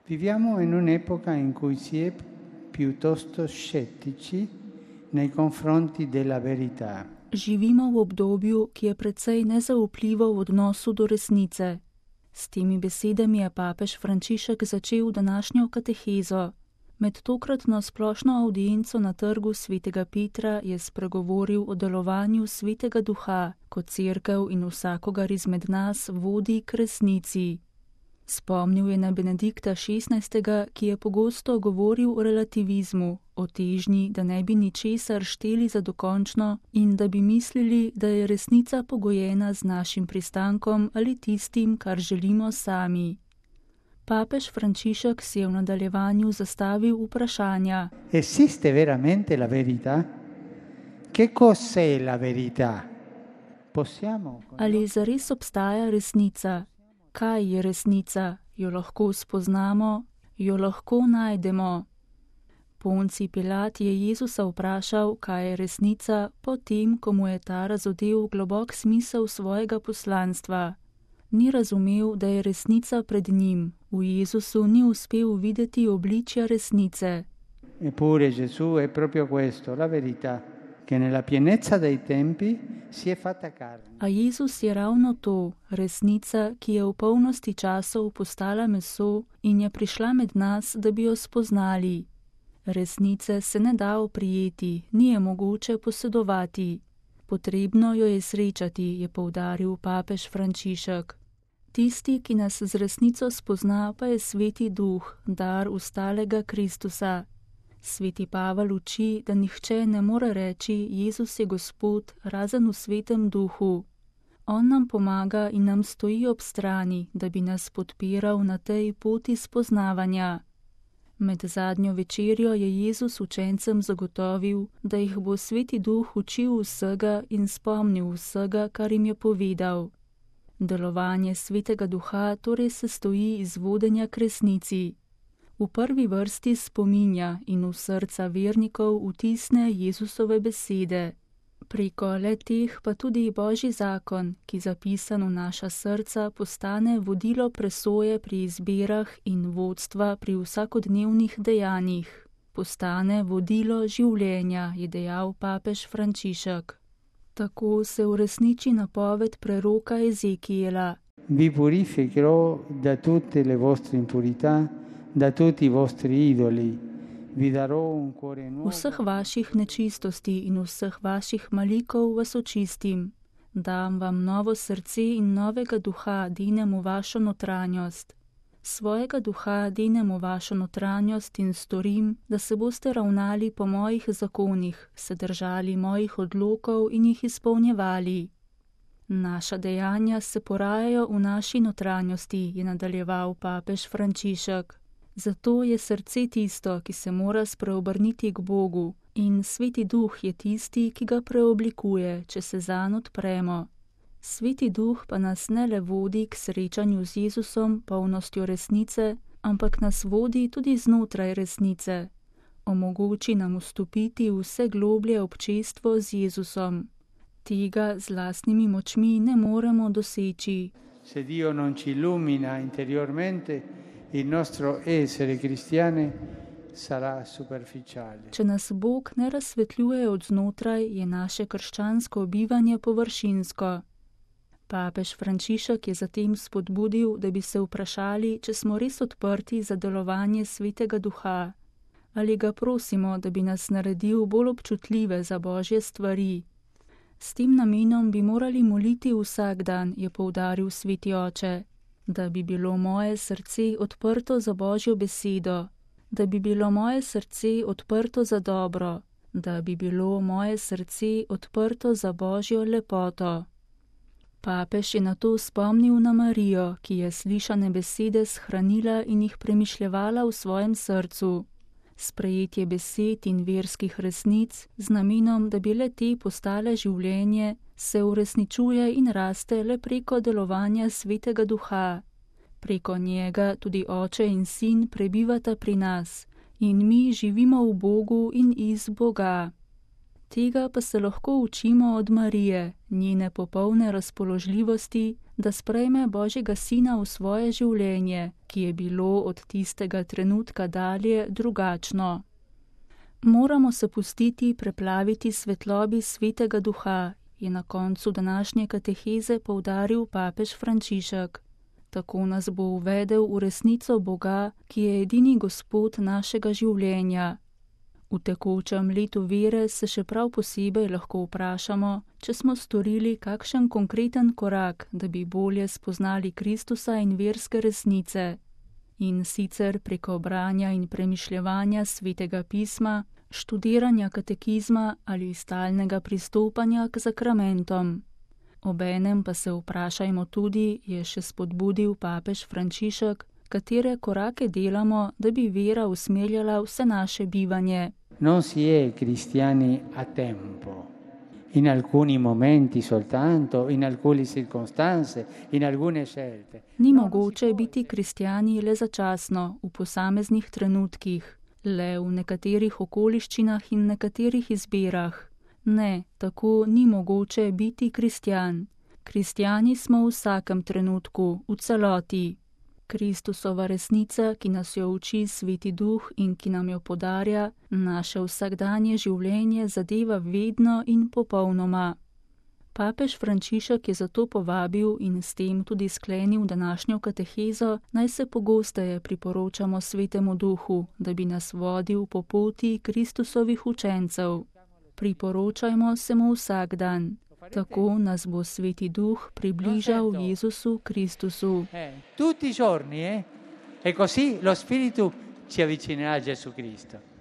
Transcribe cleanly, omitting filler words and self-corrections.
Viviamo in un'epoca in cui si è piuttosto scettici nei confronti della verità. Živimo v obdobju, ki je precej nezaupljivo v odnosu do resnice. S temi besedami je papež Frančišek začel današnjo katehezo. Med tokratno splošno avdienco na trgu svetega Petra je spregovoril o delovanju svetega duha, ko cerkev in vsakogar izmed nas vodi k resnici. Spomnil je na Benedikta XVI., ki je pogosto govoril o relativizmu, o težnji, da ne bi ničesar šteli za dokončno in da bi mislili, da je resnica pogojena z našim pristankom ali tistim, kar želimo sami. Papež Frančišek si je v nadaljevanju zastavil vprašanja. Esiste veramente la verità? Che cos'è la verità? Ali zares obstaja resnica? Kaj je resnica? Jo lahko spoznamo? Jo lahko najdemo? Poncij Pilat je Jezusa vprašal, kaj je resnica, potem, ko mu je ta razodel globok smisel svojega poslanstva. Ni razumel, da je resnica pred njim. V Jezusu ni uspel videti obličja resnice. Eppure Gesù è proprio questo, la verità, che nella pienezza dei tempi si è fatta carne. A Jezus je ravno to, resnica, ki je v polnosti časov postala meso in je prišla med nas, da bi jo spoznali. Resnice se ne da oprijeti, ni je mogoče posedovati. Potrebno jo je srečati, je poudaril papež Frančišek. Tisti, ki nas z resnico spozna, pa je Sveti Duh, dar ustalega Kristusa. Sveti Pavel uči, da nihče ne more reči, Jezus je Gospod, razen v Svetem Duhu. On nam pomaga in nam stoji ob strani, da bi nas podpiral na tej poti spoznavanja. Med zadnjo večerjo je Jezus učencem zagotovil, da jih bo Sveti Duh učil vsega in spomnil vsega, kar jim je povedal. Delovanje Svetega Duha torej se stoji iz vodenja k resnici. V prvi vrsti spominja in v srca vernikov vtisne Jezusove besede. Preko le-teh pa tudi Božji zakon, ki zapisan v naša srca, postane vodilo presoje pri izbirah in vodstva pri vsakodnevnih dejanjih. Postane vodilo življenja, je dejal papež Frančišek. Tako se uresniči napoved preroka Ezekijela. Vi purificherò da tutte le vostre impurità, da tutti i vostri idoli. Vi darò un cuore nuovo. Vseh vaših nečistosti in vseh vaših malikov vas očistim. Dam vam novo srce in novega duha denem v vašo notranjost. Svojega duha denem v vašo notranjost in storim, da se boste ravnali po mojih zakonih, se držali mojih odlokov in jih izpolnjevali. Naša dejanja se porajajo v naši notranjosti, je nadaljeval papež Frančišek. Zato je srce tisto, ki se mora spreobrniti k Bogu, in Sveti Duh je tisti, ki ga preoblikuje, če se zanj odpremo. Sveti Duh pa nas ne le vodi k srečanju z Jezusom, polnostjo resnice, ampak nas vodi tudi znotraj resnice. Omogoči nam vstopiti v vse globlje občestvo z Jezusom. Tega z lastnimi močmi ne moremo doseči. Se Dio non ci illumina interiormente, il nostro essere cristiane sarà superficiale. Če nas Bog ne razsvetljuje od znotraj, je naše krščansko bivanje površinsko. Papež Frančišek je zatem spodbudil, da bi se vprašali, če smo res odprti za delovanje Svetega Duha. Ali ga prosimo, da bi nas naredil bolj občutljive za Božje stvari. S tem namenom bi morali moliti vsak dan, je poudaril Sveti Oče. Da bi bilo moje srce odprto za Božjo besedo, da bi bilo moje srce odprto za dobro, da bi bilo moje srce odprto za Božjo lepoto. Papež je nato spomnil na Marijo, ki je slišane besede shranila in jih premišljevala v svojem srcu. Sprejetje besed in verskih resnic z namenom, da bi le te postale življenje, se uresničuje in raste le preko delovanja Svetega Duha. Preko njega tudi Oče in Sin prebivata pri nas in mi živimo v Bogu in iz Boga. Tega pa se lahko učimo od Marije, njene popolne razpoložljivosti, da sprejme Božjega Sina v svoje življenje, ki je bilo od tistega trenutka dalje drugačno. Moramo se pustiti preplaviti svetlobi Svetega Duha, je na koncu današnje kateheze poudaril papež Frančišek. Tako nas bo uvedel v resnico Boga, ki je edini Gospod našega življenja. V tekočem letu vere se še prav posebej lahko vprašamo, če smo storili kakšen konkreten korak, da bi bolje spoznali Kristusa in verske resnice. In sicer preko branja in premišljevanja Svetega pisma, študiranja katekizma ali stalnega pristopanja k sakramentom. Obenem pa se vprašajmo tudi, je še spodbudil papež Frančišek, katere korake delamo, da bi vera usmerjala vse naše bivanje. Non si è cristiani a tempo, in alcuni momenti soltanto, in alcune circostanze, in alcune scelte. Ni mogoče biti kristjani le začasno, v posameznih trenutkih, le v nekaterih okoliščinah in nekaterih izbirah. Ne, tako ni mogoče biti kristjan. Kristjani smo v vsakem trenutku, v celoti. Kristusova resnica, ki nas jo uči Sveti Duh in ki nam jo podarja, naše vsakdanje življenje zadeva vedno in popolnoma. Papež Frančišek je zato povabil in s tem tudi sklenil današnjo katehezo, naj se pogosteje priporočamo Svetemu Duhu, da bi nas vodil po poti Kristusovih učencev. Priporočajmo se mu vsak dan. Tako nas bo Sveti Duh približal Jezusu Kristusu. Tutti i giorni, E così lo Spirito ci avvicinerà a Gesù Cristo.